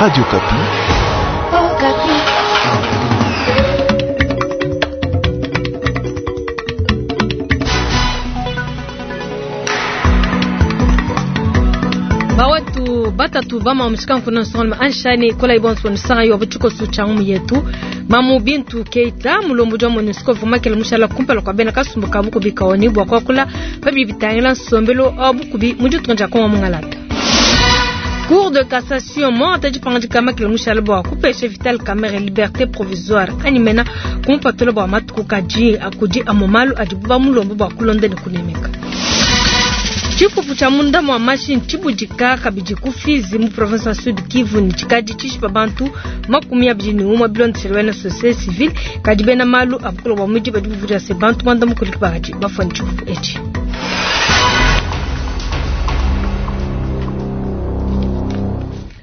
Radio Okapi. Okapi. Bawatu batatu bama mushikanku nsonga anshani kola ibonso nsanga yo buchiko sucha yetu Mamu Bintu Keita mulombo wa MONUSCO vumakela mushala kumpala kwa bena kasumbu kabuku bikaoni bwa kwakula pabi bitangila nsombelo abukubi muditunga dia Kongo mungalata. Cour de cassation mwata dipangadika makela mushala bwa kupesha Vital Kamerhe liberté provisoire animena kumpatula bwa matuku kaji akudi amomalu adibu mulombo bwa kulonda ne kunemeka. Tshifufu tshia munda mwa mashini tshibudika kabidi ku Fizi mu province ya Sud Kivu ni tshikadi tshishipa bantu 21 bilondeshele bena société civile kadi bena malu abukolo bwa mudi badi buvuja se bantu banda mukuliki bakadi bafua tshifufu etshi.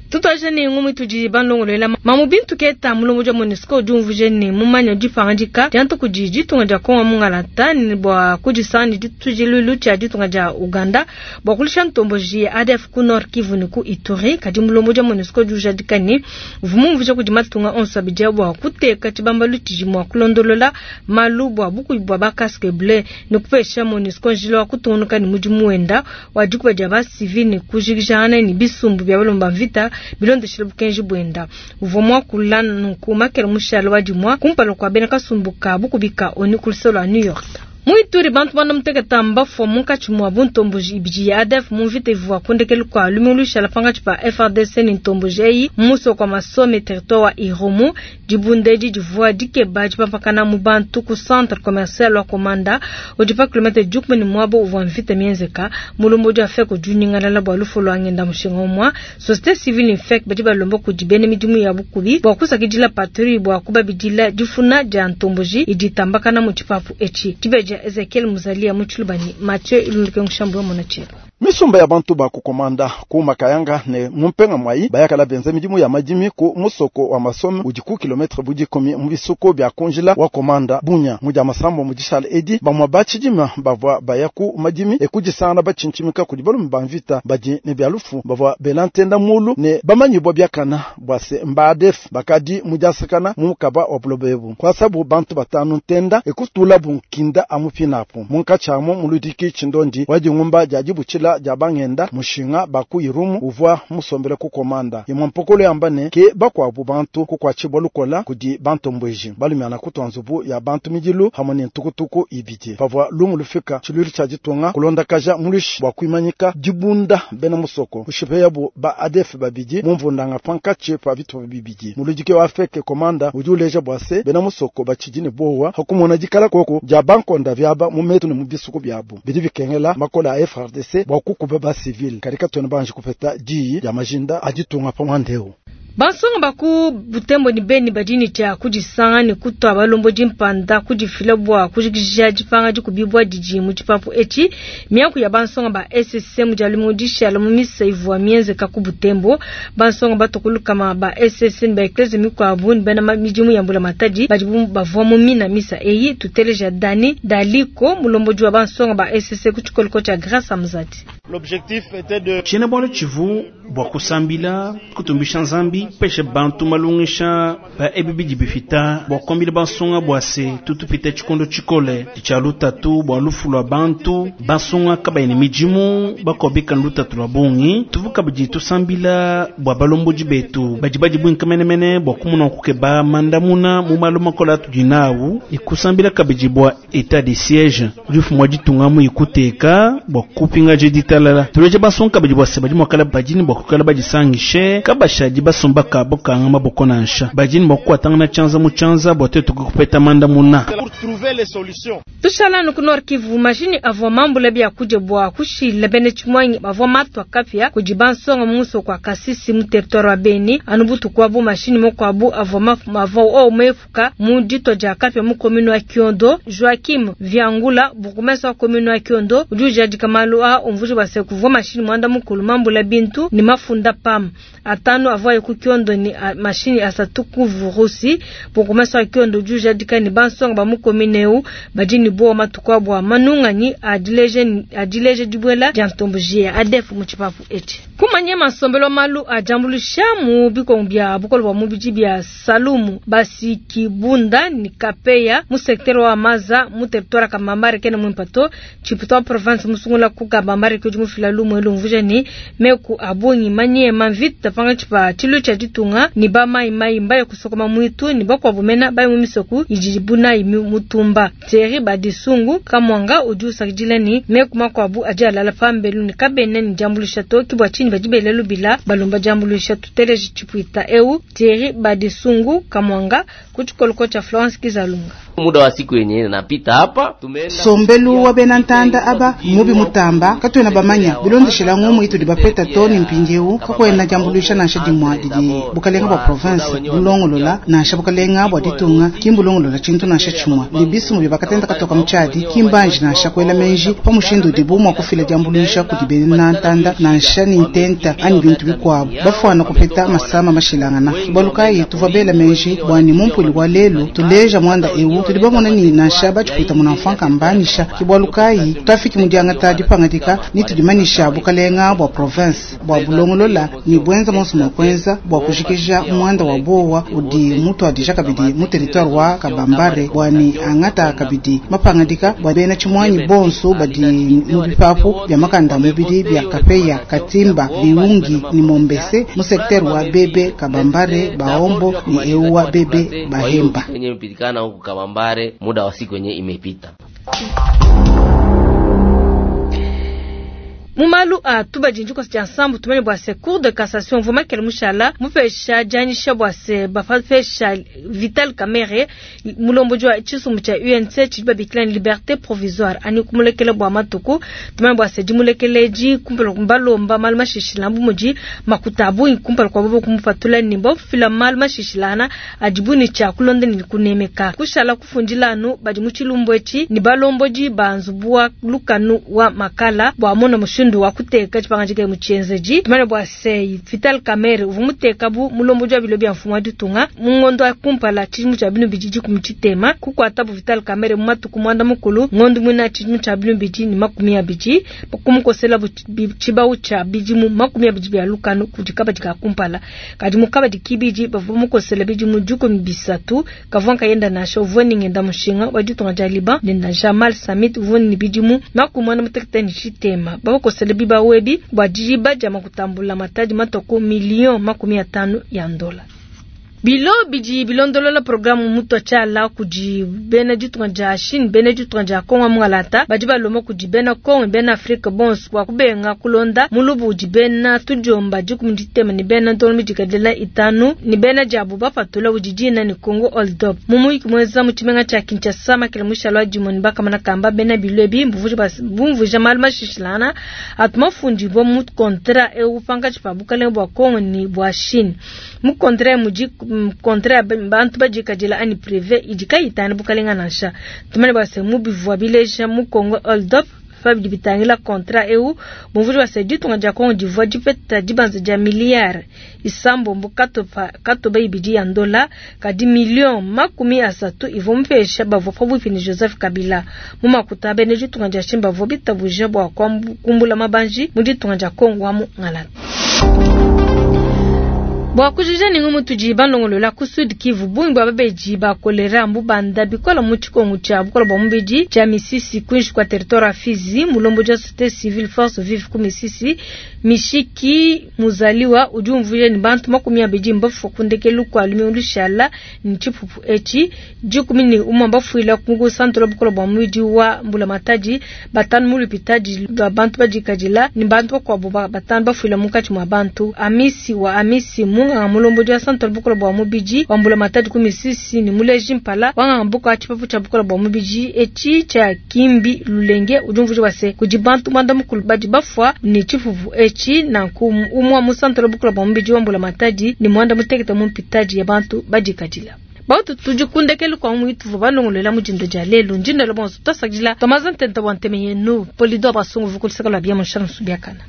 Tutwaje ne ngumu tudi balongolola Mamu Bintu Keita mulombo wa MONUSCO udi umvuje ne mumanya dipangadika dia kudi ditunga dia Kongo mungalata ne bua kudisanga ne ditujilulu tshia ditunga dia Uganda bua kulisha ntomboji ya ADF ku Nord Kivu ne ku Ituri. Kadi mulombo wa MONUSCO udi ujadika ne uvumumvuje kudi matunga onso abidi bua kuteka tshibambalu tshidi mua kulondolola malu bua bukubi bua ba casque bleu ne kupesha MONUSCO njila wa kutungunuka ne mudimu wenda wa dikuba dia ba civil ne kujikijangana ne bisumbu bia balomba mvita bilondeshele bukenji bwenda. Uvua mwakula nunku makela mushalo wa dimwa kumpala kwa bena kasumbu ka bukubika ONU ku lusolo lwa New York. Muituri bantu banda muteketa mbafua munkatshi mua buntomboji ibidi ya ADF mu mvita ivua kundekelu kua lumingu lushala pangatshi pa FARDC ne ntomboji eyi mu musoko wa Masome territoire wa Irumu. Dibunda edi divua dikeba dipampakana mu bantu ku centre commercial wa Komanda udi pa kilomètre 11 ne muaba uvua mvita mienzeka. Mulombo wa FEC udi unyingalala bua lufu lua ngenda mushinga umua. Société civile ne FEC badi balomba kudi bena midimu ya bukubi bua kusakidila patrouille bua kubabidila difuna dia ntomboji idi itambakana mu tshipapu etshi. Dibeja Ezekiel Muzalia mu Tshilubani, Mathieu Ilunduke Ngushambu wa Monachero. Misumba ya bantu ba kukomanda ku makayanga ne mumpenga mwai bayakala benza midimu ya madimi ku musoko wa Masome udi ku kilometre budi komi mu bisuko bya kunjila wa komanda bunya muja masambo mudishala edi bamwa bachidima bavwa baya ku madimi ekudisana bachinchimika kudi balume ba mvita badi ne bya lufu bavwa belantenda mulu ne bamanyi bwa byakana bwa se mbadef bakadi mujasakana mu mukaba wa bulobebu kwa sabu bantu batanu ntenda ekutula bunkinda amupinapu munkachamo muludiki chindondi wajingumba jajibuchila ja bangenda mushinga baku irumu uvwa musombele ku komanda imwe mpokolo yamba ne ke bakwabu bantu kukwachibwa lukola kudi bantu mbweji balumyana kutwa nzubu ya bantu midilu hamwe ne ntukutuku ibidi pavwa lumu lufika tshilwili tshia ditunga kulondakaja mulushi bwa kuimanyika dibunda bena musoko kushipe yabu ba ADF babidi mumvundanga pankatshi pa bitupa bibidi muludike wa feke komanda udi uleja bwa se bena musoko bachidine bowa hakumona dikala koko ja bankonda vyaba mu metu ne mu bisuku byabu bidi bikengela makola a FARDC bwa kukuba ba civil karika tona banje kupeta diyi ya majinda aditunga pa mwandeo. Bansonga baku Butembo ni beni badini tshia kudisanga ne kutwa balombo dimpanda kudifila bua kujikija dipanga dikubibwa didi mu tshipapu etshi. Miaku ya bansonga ba SSC mu dia lumingu dishala mu misa ivua mienzeka ku Butembo. Bansonga batokulukama ba SSC ne ba eklese mikuabu ne bena midimu ya mbula matadi badi bavua mu mina misa eyi. Tuteleja Dani Daliko mulombodi wa bansonga ba SSC ku tshikoliko tshia Grâce Amzati. L'objectif était de Tshena bwalo tshivu bua kusambila kutumbisha nzambi peshe bantu malungisha ba ebi bidi bifita bua kuambila bansonga bua se tutupita tshikondo tshikole tshia lutatu bua lufu lua bantu bansonga kabayi ne midimu bakobika lutatu lua bungi tuvu kabidi tusambila bua balombodi betu badi badi buinka menemene bua kumuna kukeba mandamuna mu malu makola atudi nawu ikusambila kabidi bua état de siège udi mfumu wa ditunga mu ikuteka bua kupingaja ditalala tuleje bansonga kabidi bua se badi muakala badini bua kukala badisangishe kabashadi basomba kabo kanga maboko nansha badini bua kukwatangana tshianza mu tshianza bua tuetu kupeta mandamuna. Pour trouver les solutions. Tushala nuku Nord Kivu mashini avua mambula bia kudia bua kushila bene tshimwangi bavua matwa kapia kudi bansonga mu musoko wa Kasisi mu territoire wa Beni anu butuku abu mashini mokuabu avua mavua o mefuka mu ditwa dia kapia mu commune wa Kiondo. Joachim Viangula bourgmestre wa commune wa Kiondo udi ujadika malu a umvuja bua se kuvua mashini mwanda mukulu mambula bintu ne mafunda pam atano avua ku Kiondo ne mashinyi asatu ku Vurusi. Bourgmestre wa Kiondo udi ujadika ne bansonga ba mu commune eu badi ne buowa matuku a bua manunganyi a dileja dibuela dia ntomboji ya ADF mu tshipapu etshi. Kumanya nsombelu wa malu a diambuluisha mu bikongo bia bukole bua mubidi bia Salumu, Basikibunda ne Kapeya mu secteur wa Maza mu territoire ya Kabambare kena muimpe to. Tshipuita wa province musungula ku Kabambare ke udi mufila lumu elu umvuija ne, meku a bungi manyema mvita pankatshi pa tshiluilu tshia ditunga ne ba mai mai mbaye kusokoma muitu ne bakuabu mena baye mu misoko idibu nayi mutumba. Thierry Badisungu Kamwanga udi usakidila ne, meku makuabu adi alala pambelu ne kabena ne diambuluisha to, ke bua tshinyi badi bela lubila balomba diambuluisha. Tuteleje tshipuita eu Thierry Badisungu Kamwanga ku tshikoloko tshia Florence Kizalunga. Muda wa siku yenye napita hapa sombelu wa bena ntanda aba mubi mutamba katuena bamanya bilondeshela ngumu itudi bapeta to ni mpindieu kakwena diambuluisha nansha dimua didi bukalenga bua province bulongolola nansha bukalenga bua ditunga kimbulongolola tshintu nansha tshimua bibisumu bya bakatenda katoka mutshadi kimbanji nansha kuela menji pa mushindu udibu mua kufila diambuluisha kudi bena ntanda nansha ni ntenta anyi bintu bikuabu bafuana kupeta masama mashilangana bualu kayi tuvua bela menji bua ni mumpuli wa lelu tuleja mwanda eu tudi bamona ni nansha batshipwita munamfanka mbanisha ke bualu kayi twafiki mu diangata dipangadika ni tudimanisha bukalenga bua province bua bulongolola ni bwenza monso mua kuenza bua kujikija mwanda wa bowa udi mutuadija kabidi mu territoire wa Kabambare bua ni angata kabidi mapangadika bua bena tshimwanyi bonso badi mu bipapu bia makanda mubidi bia Kapeya, Katimba, Biungi ni Mombese mu secteur wa Bebe Kabambare Baombo ni eu wa Bebe Bahemba. Yenye imepitikana huku Kabambare muda wa siku yenye imepita. Mu malu a tubadi njikosa tshia nsambu tumanye bua se cour de cassation mvua makele mushala mupesha dianyisha bua se bapesha Vital Kamerhe mulombodi wa tshisumbu tshia UNC tshidi babikila ni liberté provisoire ani kumulekela bua matuku. Tumanye bua se dimulekeleji kumpala balomba malu mashishila bu mudi makuta a bungi kumpala kua bobo kumupatula ne bafila malu mashishilana adibu ne tshia kulonda ne kunemeka kushala kufundila anu badi mu tshilumbu etshi ne balombodi ba nzubu wa lukanu wa makala bua mona mushindu wa kuteka tshipangadika mu tshienzeji. Tumanye bua se Vital Kamerhe uvua muteka bu mulombodi wa bilo bia mfumu wa ditunga mu ngondo wa kumpala tshidimu tshia binu bidi dikumi tshitema kukuatabu Vital Kamerhe mu matuku mwanda mukulu ngondo muina tshidimu tshia binu bidi ne makumi abidi kumukosela tshibawu tshia bidimu makumi abidi bia lukanu kudi kabadi ka kumpala kadi mu kabadi kibidi bavua mukosela bidimu dikumi bisatu kavua nkayenda nansha uvua ni ngenda mushinga wa ditunga dia Liban nenda Jamal Samit uvua ni bidimu makumi muanda mutekete ne tshitema bakosela bibawu ebi bua diba dia makutambula matadi matoko million makumi atanu ya ndola. Bilo bidi bilondolola programu mutwa tshiala kudi bena ditunga dia Chine, bena ditunga dia Kongo mungalata badi balomba kudi bena Kongo bena Afrika bonso bua kubenga kulonda mulubu udi bena tudiomba dikumi ditema ne bena ntono midikadila itanu ne bena diabu bapatula udi dina ne Congo Hold Up. Mu muyiki muenza mu tshimenga tshia Kinshasa makele mushala wa dimue ne bakamana kamba bena bilo ebi bumvuija malu mashishilana atu mafundibua mu kontra eu pankatshi pa bukalenge bua Kongo ne bua Chine. Mu kontra mudi kontra bantu badikadila ani privé idi kayitana bukalenga nansha. Tumane bua se mu bivua bileja mu Congo Hold Up pa bidi bitangila kontra eu bumvuija bua se ditunga dia Kongo divua dipeta dibanza dia miliyare isambombo katoba ibidi ya ndola kadi million makumi asatu ivua mupesha bavua pabuipi ne Joseph Kabila. Mu makuta bena ditunga dia Chine bavua bitabuja bua kumbula mabanji mu ditunga dia Kongo wa mu Ngalata. Bua kujija ni ngumu tudi balongolola ku Sud Kivu bungi bua babeji ba kolera mbubanda bikola mu tshikongu tshia bukola bua mubidi tshia Misisi kuinshi kwa territoire ya Fizi. Mulombodi wa société civile force vive ku Misisi Mishiki Muzaliwa udi umvuija ni bantu makumi abidi mbafua kundekelu kua lumingu lushala ni tshipupu etshi dikumi ni umue mbafuila ku santola bukola bua mubidi wa mbulamatadi batanu mu lupitadi lua bantu badikadila ni bantu bakuabu batanu bafuila munkatshi mua bantu. Amisi wa Amisi munganga mulombodi wa santola bukola bua mubidi wa mbulamatadi ku Misisi ni muleji mpala wanganga mbuka wa tshipapu tshia bukola bua mubidi etshi tshia Kimbi Lulenge udi umvuija bua se kudi bantu mwanda mukulu badi bafua ni tshipupu etshi nanku umue mu santola bukola bua mubidi wa mbulamatadi ni mwanda mutekete mu mpitadi ya bantu badikadila. Bautu tudi kundekelu kwa muitu balongolola mudindo dia lelu ndindo bonso tosakila tomaza ntenta wa nteme yenu polido basungu vukulisaka lwa bia mushana subiakana.